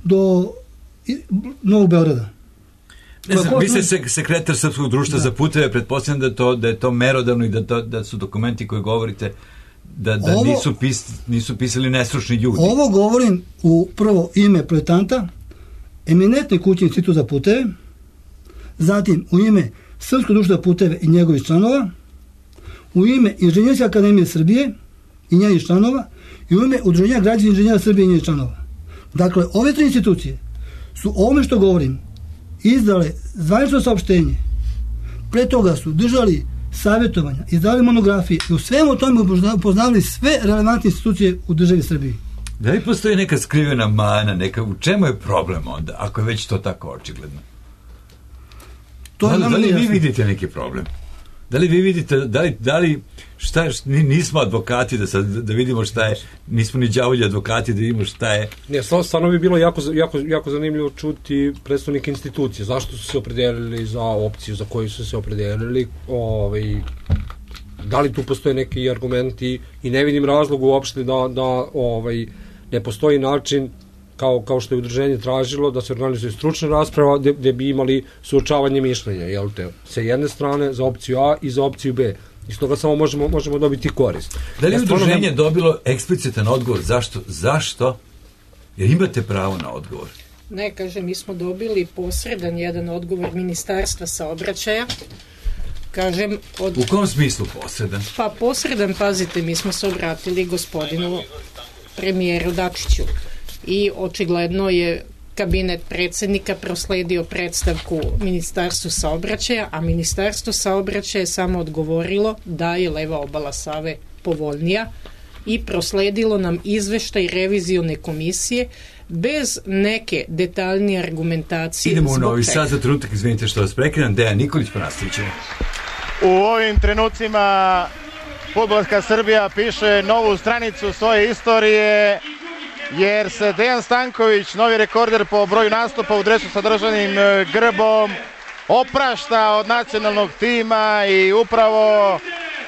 do Novog Beograda. Ne znam, vi ste sekretar Srpskog društva za puteve, pretpostavljam da je to merodavno i da su dokumenti koji govorite da nisu pisali nestručni ljudi. Ovo govorim u prvo ime projektanta, eminentne kuće Instituta za puteve, zatim u ime Srpskog društva za puteve i njegovih članova, u ime Inženjerske akademije Srbije i njenih članova i u ime Udruženja građana inženjera Srbije i njenih članova. Dakle, ove tri institucije su ovome što govorim izdale zvanično saopštenje, pre toga su držali savjetovanja, izdali monografije i u svemu tome upoznavali sve relevantne institucije u državi Srbiji. Da li postoji neka skrivena mana, u čemu je problem onda, ako je već to tako očigledno? Da li vi vidite neki problem? Da li vi vidite, nismo advokati da vidimo šta je, nismo ni đavolji advokati da vidimo šta je. Ne, stvarno bi bilo jako zanimljivo čuti predstavnike institucije, zašto su se opredelili za opciju za koju su se opredelili, da li tu postoje neki argumenti i ne vidim razlog uopšte da ne postoji način kao što je udruženje tražilo da se organizuje stručna rasprava gde bi imali suočavanje mišljenja, jel te, sa jedne strane za opciju A i za opciju B. Iz toga samo možemo dobiti korist. Da li je udruženje dobilo eksplicitan odgovor? Zašto? Jer imate pravo na odgovor. Ne, kažem, mi smo dobili posredan jedan odgovor Ministarstva saobraćaja. Kažem, u kom smislu posredan? Pa posredan, pazite, mi smo se obratili gospodinu premijeru Dačiću i očigledno je kabinet predsjednika prosledio predstavku Ministarstvu saobraćaja, a Ministarstvo saobraćaja je samo odgovorilo da je leva obala Save povoljnija i prosledilo nam izveštaj revizione komisije bez neke detaljnije argumentacije. Idemo u Novi Sad za trenutak, izvinite što vas prekidam. Dejan Nikolić, pa nastavit ćemo. U ovim trenucima fudbalska Srbija piše novu stranicu svoje istorije, jer se Dejan Stanković, novi rekorder po broju nastupa u dresu sa državnim grbom, oprašta od nacionalnog tima i upravo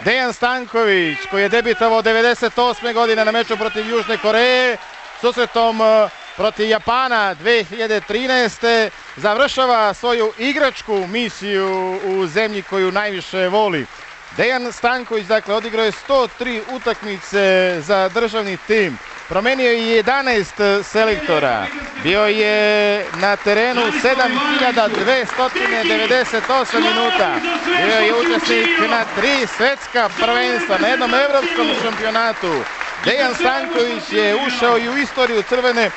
Dejan Stanković, koji je debitovao 98. godine na meču protiv Južne Koreje, susretom protiv Japana 2013. završava svoju igračku misiju u zemlji koju najviše voli. Dejan Stanković, dakle, odigrao je 103 utakmice za državni tim. Promenio je 11 selektora, bio je na terenu 7298 minuta, bio je učesnik na 3 svetska prvenstva, na jednom evropskom šampionatu. Dejan Stanković je ušao i u istoriju Crvene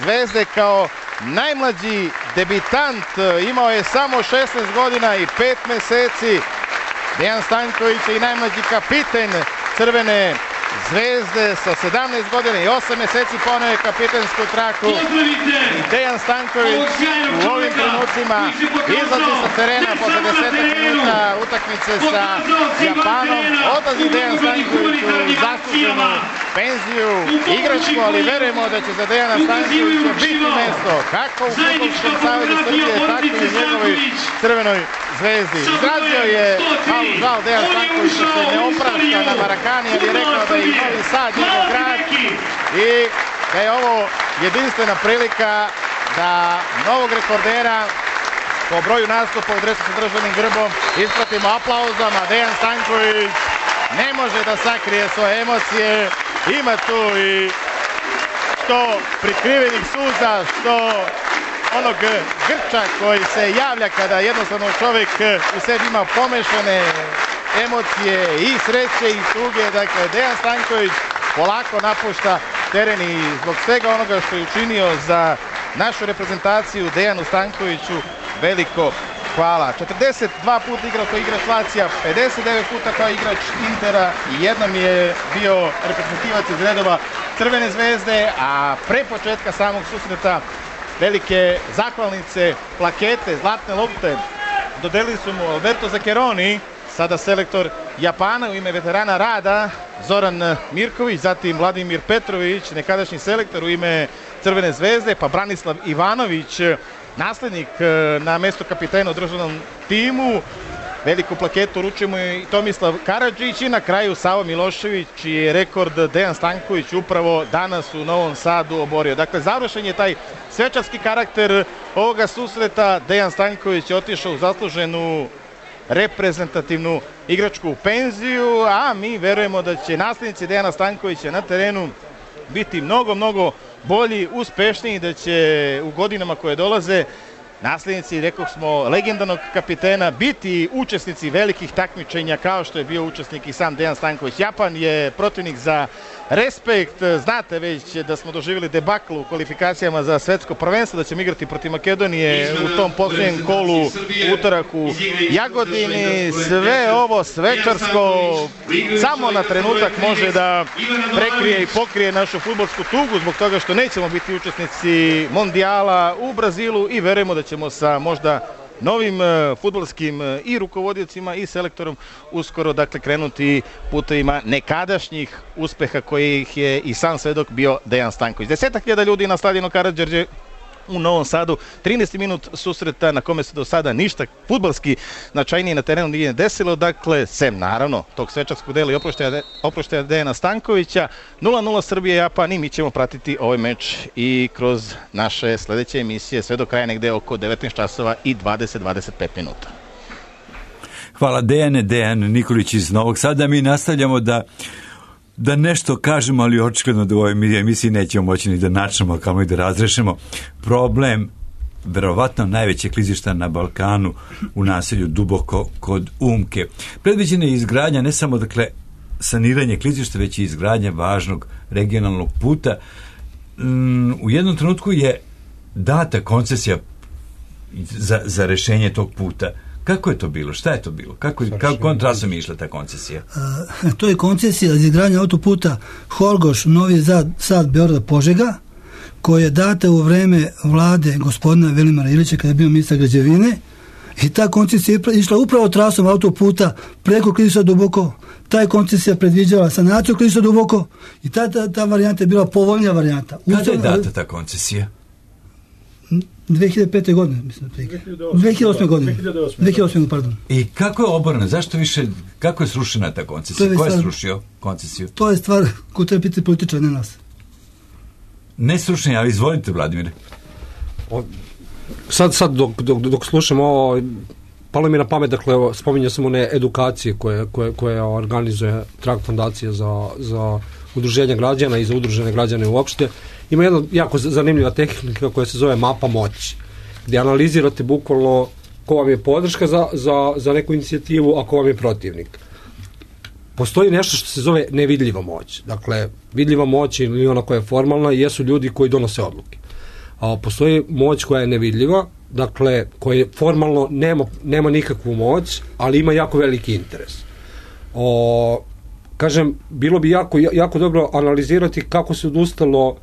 zvezde kao najmlađi debitant, imao je samo 16 godina i 5 meseci. Dejan Stanković je i najmlađi kapiten Crvene zvezde sa 17 godina i 8 meseci poneo je kapitensku traku. Dejan Stanković u ovim trenucima izlazi sa terena posle 10 minuta utakmice sa Japanom. Odlazi Dejan Stanković u zasluženu penziju, igračku, ali verujemo da će za Dejana Stankovića biti mesto kako u Fudbalskom savezu Srbije, tako i u njegovoj Crvenoj zvezdi. Izrazio je malu žal Dejan Stanković što se ne oprašta na Marakani, ali je rekao da je i Novi Sad njegov grad i da je ovo jedinstvena prilika da novog rekordera po broju nastupa u dresu sa državnim grbom ispratimo aplauzama. Dejan Stanković ne može da sakrije svoje emocije, ima tu i što prikrivenih suza, što onog grča koji se javlja kada jednostavno čovjek u sebi ima pomešane emocije i sreće i tuge. Dakle, Dejan Stanković polako napušta teren i zbog svega onoga što je učinio za našu reprezentaciju Dejanu Stankoviću veliko hvala. 42 puta igrao kao igrač Lazija, 59 puta kao igrač Intera i jednom je bio reprezentativac iz redova Crvene zvezde, a pre početka samog susreta velike zahvalnice, plakete, zlatne lopte dodelili su mu Alberto Zaccheroni, sada selektor Japana, u ime veterana rada Zoran Mirković, zatim Vladimir Petrović, nekadašnji selektor u ime Crvene zvezde, pa Branislav Ivanović, naslednik na mesto kapitena u državnom timu. Veliku plaketu uručuje mu i Tomislav Karadžić i na kraju Savo Milošević, čiji je rekord Dejan Stanković upravo danas u Novom Sadu oborio. Dakle, završen je taj svečarski karakter ovoga susreta. Dejan Stanković je otišao u zasluženu reprezentativnu igračku penziju, a mi verujemo da će naslednici Dejana Stankovića na terenu biti mnogo bolji, uspešniji, da će u godinama koje dolaze naslednici, rekao smo, legendarnog kapitena biti učesnici velikih takmičenja kao što je bio učesnik i sam Dejan Stanković. Japan je protivnik za respekt. Znate već da smo doživjeli debakl u kvalifikacijama za svetsko prvenstvo, da ćemo igrati protiv Makedonije u tom posljednjem kolu utorak u Jagodini. Sve ovo svečarsko samo na trenutak može da prekrije i pokrije našu fudbalsku tugu zbog toga što nećemo biti učesnici mondijala u Brazilu i verujemo da ćemo sa možda novim fudbalskim i rukovodiocima i selektorom uskoro dakle krenuti putevima nekadašnjih uspeha kojih je i sam svedok bio Dejan Stanković. 10.000 ljudi na stadionu Karađorđe u Novom Sadu, 13. minut susreta na kome se do sada ništa fudbalski značajnije na terenu nije desilo, dakle, sem naravno tog svečarskog dela i oproštaja Dejana Stankovića. 0-0 Srbije Japan i mi ćemo pratiti ovaj meč i kroz naše sledeće emisije sve do kraja negde oko 19 časova i 20-25 minuta. Hvala Dejane, Dejan Nikolić iz Novog Sada. Mi nastavljamo da nešto kažemo, ali očigledno da u ovoj emisiji nećemo moći ni da načnemo, kao i da razrešimo problem verovatno najveće klizišta na Balkanu u naselju Duboko kod Umke. Predviđena je izgradnja ne samo dakle saniranje klizišta, već i izgradnja važnog regionalnog puta. U jednom trenutku je data koncesija za rešenje tog puta. Kako je to bilo? Šta je to bilo? Kako trasom je išla ta koncesija? To je koncesija za izgradnje autoputa Horgoš, Novi Sad, Beograd, Požega, koja je data u vreme vlade gospodina Velimira Ilića kada je bio ministar građevine i ta koncesija je išla upravo trasom autoputa preko klizišta Duboko. Ta je koncesija predviđala sanaciju klizišta Duboko i ta varijanta je bila povoljnija varijanta. Kada je data ta koncesija? 2005. godine, mislim. 2008. godine. 2008. pardon. I kako je oborena? Zašto više, kako je srušena ta koncesija? Ko je srušio koncesiju? To je stvar koju treba biti političar, ne nas. Ne srušenje, ali izvolite, Vladimire. Sad dok slušam ovo, palo mi na pamet, dakle, spominjao sam one edukacije koje organizuje Trag fondacija za udruženje građana i za udružene građane uopšte. Ima jedna jako zanimljiva tehnika koja se zove mapa moći, gdje analizirate bukvalno ko vam je podrška za neku inicijativu, a ko vam je protivnik. Postoji nešto što se zove nevidljiva moć. Dakle, vidljiva moć ili ona koja je formalna jesu ljudi koji donose odluke. A postoji moć koja je nevidljiva, dakle, koja formalno nema nikakvu moć, ali ima jako veliki interes. Kažem, bilo bi jako dobro analizirati kako se odustalo.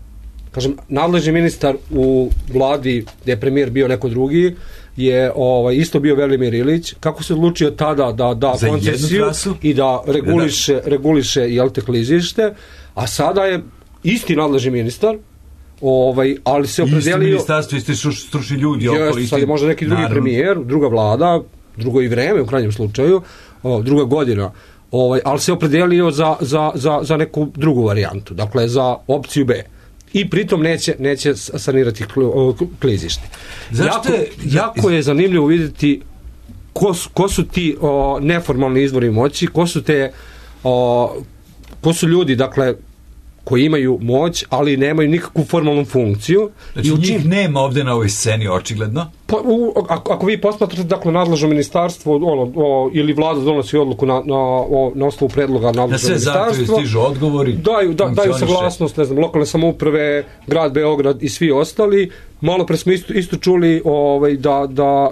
Kažem, nadležni ministar u vladi gdje je premijer bio neko drugi je isto bio Velimir Ilić. Kako se odlučio tada da koncesiju i da reguliše jel te klizište, a sada je isti nadležni ministar, ali se opredelio... Isti ministarstvo, isti stručni ljudi. Sad je možda neki drugi premijer, druga vlada, drugo i vreme u krajnjem slučaju, druga godina, ali se opredelio za neku drugu varijantu, dakle za opciju B. I pritom neće sanirati klizište. Jako je zanimljivo vidjeti ko su ti neformalni izvori moći, ko su ljudi, dakle, koji imaju moć, ali nemaju nikakvu formalnu funkciju. Znači njih nema ovde na ovoj sceni, očigledno? Pa, ako vi posmatrate, dakle, nadležno ministarstvo ili vlada donosi odluku na osnovu predloga nadležnog ministarstva. Na sve zahtjeve stižu odgovori. Daju saglasnost, ne znam, lokalne samouprave, grad Beograd i svi ostali. Malo pre smo isto čuli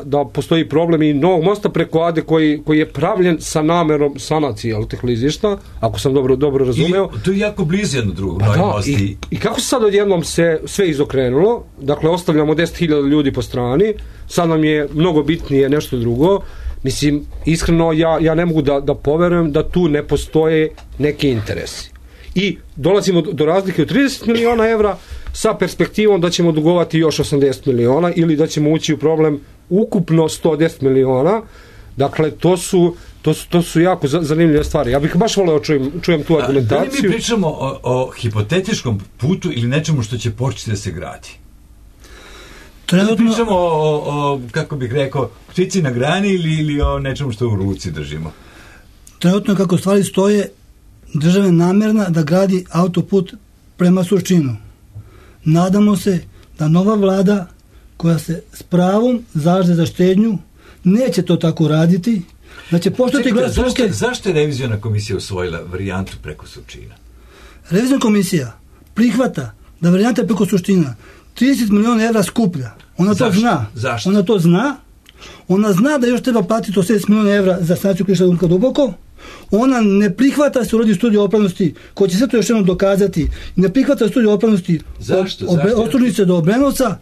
da postoji problem i Novog mosta preko Ade koji je pravljen sa namerom sanacije tih klizišta, ako sam dobro razumeo. To je jako blizu jedno drugo. I kako se sad odjednom se sve izokrenulo, dakle ostavljamo 10.000 ljudi po strani, sad nam je mnogo bitnije nešto drugo. Mislim, iskreno ja ne mogu da poverujem da tu ne postoje neki interesi. I dolazimo do razlike od 30 miliona evra sa perspektivom da ćemo dugovati još 80 miliona ili da ćemo ući u problem ukupno 110 miliona. Dakle, to su jako zanimljive stvari. Ja bih baš voleo čujem tu argumentaciju. Da li mi pričamo o hipotetičkom putu ili nečemu što će početi da se gradi? Trenutno pričamo o, kako bih rekao, ptici na grani ili o nečemu što u ruci držimo? Trenutno, kako stvari stoje, država je namjerna da gradi autoput prema Surčinu. Nadamo se da nova vlada, koja se s pravom zalaže za štednju, neće to tako raditi, da će poštati glas struke. Zašto je reviziona komisija usvojila varijantu preko Surčina? Reviziona komisija prihvata da varijanta preko Surčina 30 miliona evra skuplja. Ona to zna. Zašto? Ona to zna. Ona zna da još treba platiti 80 miliona evra za sanaciju klizišta Umka Duboko. Ona ne prihvata da se uradi studija opravdanosti, koja će sve to još jednom dokazati. Ne prihvata studija opravdanosti od Surčnice do Obrenovca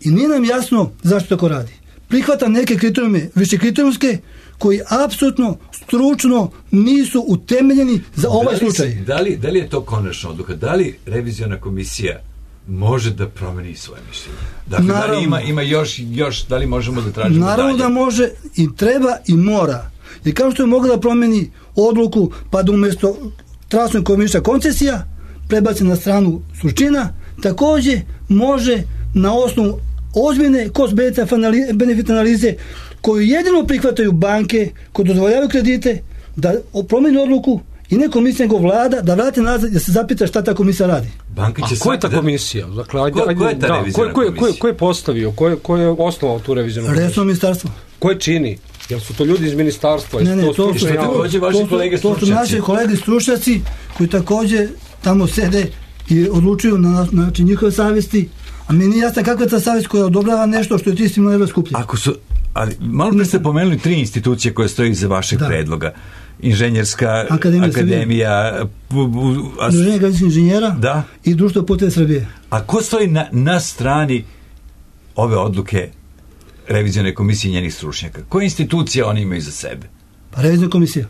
i nije nam jasno zašto tako radi. Prihvata neke kriterijume, više kriterijumske, koji apsolutno stručno nisu utemeljeni za ovaj slučaj. Da li je to konačna odluka? Da li reviziona komisija može da promeni svoje mišljenje? Dakle, naravno, da li ima još, da li možemo da tražimo dalje? Naravno da može i treba i mora. I kao što je mogla da promeni odluku pa da umjesto trasnog komisija koncesija prebaci na stranu Surčina, također može na osnovu ozbiljne cost-benefit analize koju jedino prihvataju banke koje dozvoljavaju kredite da promeni odluku i ne komisija nego vlada da vrati nazad da se zapita šta ta komisija radi. A ko je ta komisija? Dakle, ko je postavio? Ko je osnovao tu revizijonu komisiju? Resorno ministarstvo. Ko je čini? Jel su to ljudi iz ministarstva? To su naši kolege stručnjaci koji također tamo sede i odlučuju na način njihove savjesti, a meni nije jasno kakva je ta savjest koja odobrava nešto što je 30 miliona evra skuplje. Ali malo pre ste pomenuli 3 institucije koje stoji iza vašeg predloga. Inženjerska akademija, Udruženje građevinskih inženjera i Društvo puteva Srbije. A ko stoji na strani ove odluke revizione komisije i njenih stručnjaka? Koje institucije oni imaju za sebe? Pa reviziona komisija.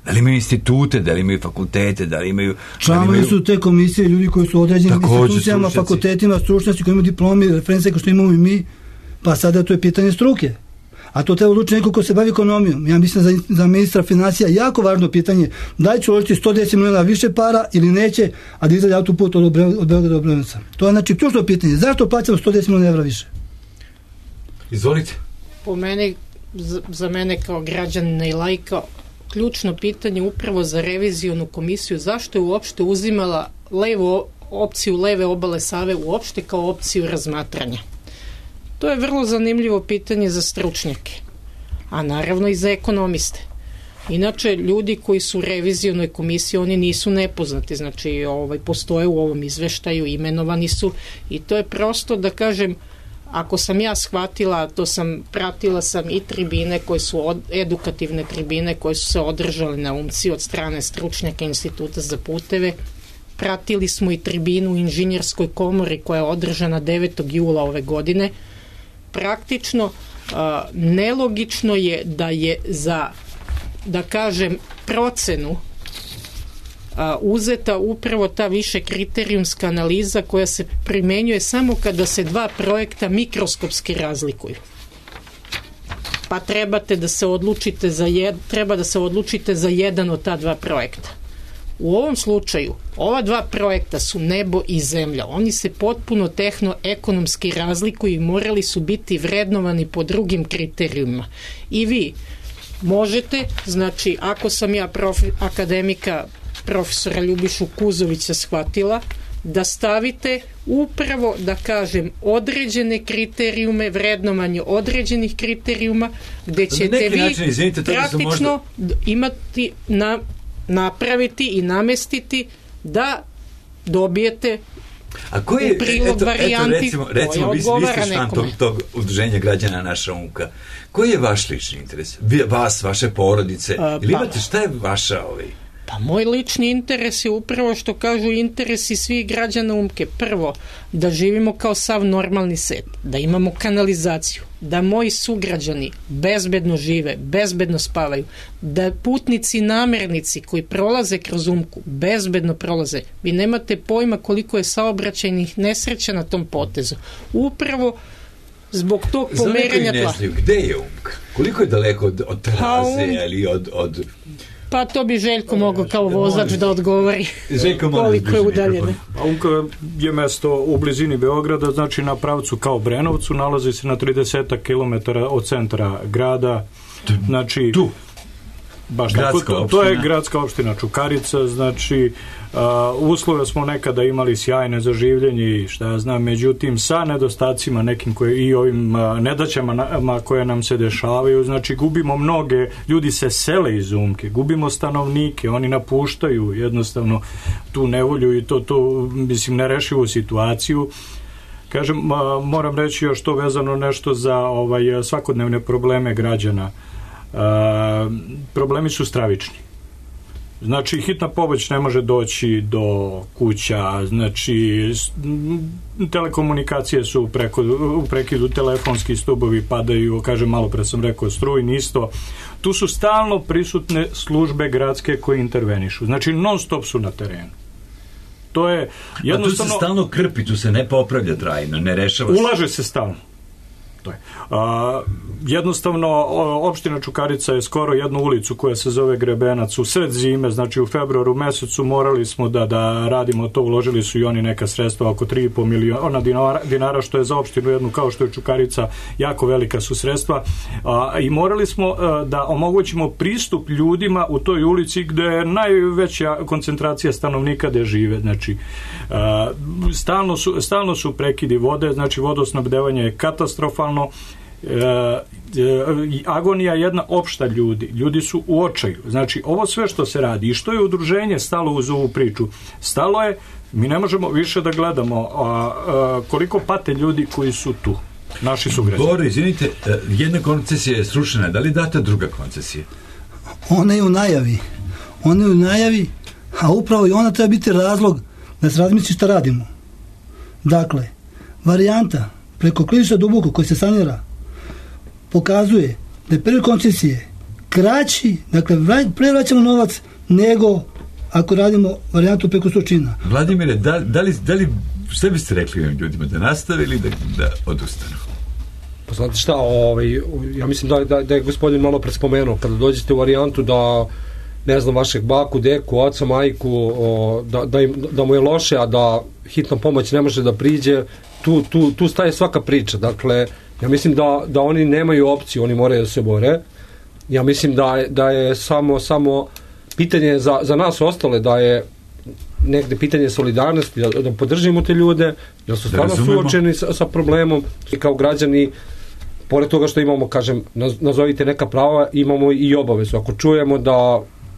Da li imaju institute, da li imaju fakultete, da li imaju... Članovi su te komisije, ljudi koji su određeni institucijama, fakultetima, stručnjaci koji imaju diplomi, reference kao što imamo i mi, pa sada to je pitanje struke. A to treba odlučiti neko ko se bavi ekonomijom. Ja mislim za ministra financija jako važno pitanje da li će uložiti 110 miliona više para ili neće, a da izgleda autoput od Beograda do Obrenovca. To je znači ključno pitanje. Zašto plaćamo 110 miliona evra više? Izvolite. Po meni, za mene kao građanina i laika, ključno pitanje upravo za revizionu komisiju, zašto je uopšte uzimala opciju leve obale Save uopšte kao opciju razmatranja. To je vrlo zanimljivo pitanje za stručnjake, a naravno i za ekonomiste. Inače, ljudi koji su u revizionoj komisiji, oni nisu nepoznati, znači postoje u ovom izveštaju, imenovani su i to je prosto da kažem, ako sam ja shvatila, pratila sam i tribine koje su edukativne tribine koje su se održale na UMCI od strane stručnjaka Instituta za puteve. Pratili smo i tribinu u Inženjerskoj komori koja je održana 9. jula ove godine. Praktično nelogično je da je za, da kažem, procenu uzeta upravo ta više kriterijumska analiza koja se primenjuje samo kada se dva projekta mikroskopski razlikuju. Pa treba da se odlučite za jedan od ta dva projekta. U ovom slučaju, ova dva projekta su nebo i zemlja. Oni se potpuno tehno-ekonomski razlikuju i morali su biti vrednovani po drugim kriterijumima. I vi možete, znači, ako sam ja akademika profesora Ljubišu Kuzovića shvatila da stavite upravo, da kažem, određene kriterijume, vrednovanje određenih kriterijuma, gde ćete vi praktično imati, napraviti i namestiti da dobijete u prilog varijanti koja odgovara nekome. Tog udruženja građana Naša umka. Koji je vaš lični interes? Vas, vaše porodice? Ili imate, šta je vaša Pa moj lični interes je upravo što kažu interesi svih građana Umke. Prvo, da živimo kao sav normalni svet, da imamo kanalizaciju, da moji sugrađani bezbedno žive, bezbedno spavaju, da putnici i namernici koji prolaze kroz Umku bezbedno prolaze. Vi nemate pojma koliko je saobraćajnih nesreća na tom potezu. Upravo zbog tog pomeranja tla. Gde je Umka? Koliko je daleko od Teraze ili od... Pa to bi Željko mogao kao vozač da odgovori koliko je udaljene. Umka je mesto u blizini Beograda, znači na pravcu kao Brenovcu, nalazi se na 30 km od centra grada. Znači, tu? Baš tako, to je gradska opština Čukarica, znači uslove smo nekada imali sjajne za življenje i šta ja znam, međutim sa nedostacima nekim i ovim nedaćama koje nam se dešavaju, znači gubimo mnoge, ljudi se sele iz Umke, gubimo stanovnike, oni napuštaju jednostavno tu nevolju i to mislim nerešivu situaciju. Kažem, moram reći još to vezano nešto za svakodnevne probleme građana. Problemi su stravični. Znači, hitna pomoć ne može doći do kuća, znači, telekomunikacije su u prekidu, telefonski stubovi padaju, kažem, malo pre sam rekao, strujni isto. Tu su stalno prisutne službe gradske koje intervenišu. Znači, non stop su na terenu. To je jednostavno... A tu se stalno krpi, tu se ne popravlja trajno, ne rešava se. Ulaže se stalno. Jednostavno opština Čukarica je skoro jednu ulicu koja se zove Grebenac u sred zime, znači u februaru mesecu morali smo da radimo to, uložili su i oni neka sredstva oko 3,5 miliona dinara, što je za opštinu jednu kao što je Čukarica jako velika su sredstva, i morali smo da omogućimo pristup ljudima u toj ulici gde je najveća koncentracija stanovnika gde žive, znači stalno su prekidi vode, znači vodosnabdevanje je katastrofalno. Agonija jedna opšta ljudi su u očaju, znači ovo sve što se radi i što je udruženje stalo uz ovu priču, stalo je, mi ne možemo više da gledamo koliko pate ljudi koji su tu, naši sugrađani. Boro, izvinite, jedna koncesija je srušena, da li data druga koncesija? Ona je u najavi, a upravo i ona treba biti razlog da se razmisli šta radimo. Dakle, varijanta preko klizišta Duboko koji se sanira pokazuje da je period koncesije kraći, dakle pre vraćamo novac nego ako radimo varijantu preko Surčina. Vladimire, da li šta biste rekli ovim ljudima, da nastave ili da odustanu? Pa znate šta, ja mislim da je gospodin malo prespomenuo, kada dođete u varijantu da ne znam, vašeg baku, deku, oca, majku, da mu je loše, a da hitna pomoć ne može da priđe, tu staje svaka priča. Dakle, ja mislim da oni nemaju opciju, oni moraju da se bore. Ja mislim da je samo pitanje za nas ostale, da je negde pitanje solidarnosti, da podržimo te ljude, jer su stvarno suočeni sa problemom i kao građani, pored toga što imamo, kažem, nazovite neka prava, imamo i obavezu. Ako čujemo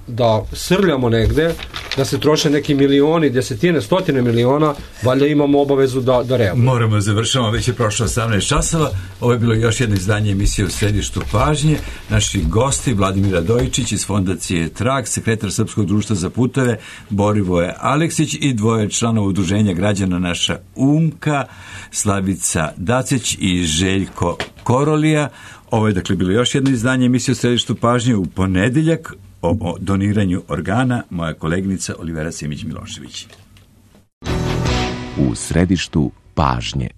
da srljamo negde, da se troše neki milioni, desetine, stotine miliona, valjda imamo obavezu da reagujemo. Moramo završamo, već je prošlo 18 časova. Ovo je bilo još jedno izdanje emisije U središtu pažnje. Naši gosti, Vladimir Radojičić iz fondacije Trag, sekretar Srpskog društva za puteve, Borivoje Aleksić i dvoje članova udruženja građana Naša Umka, Slavica Dacić i Željko Korolija. Ovo je dakle bilo još jedno izdanje emisije U središtu pažnje u ponedeljak. O doniranju organa moja koleginica Olivera Simić-Milošević. U središtu pažnje.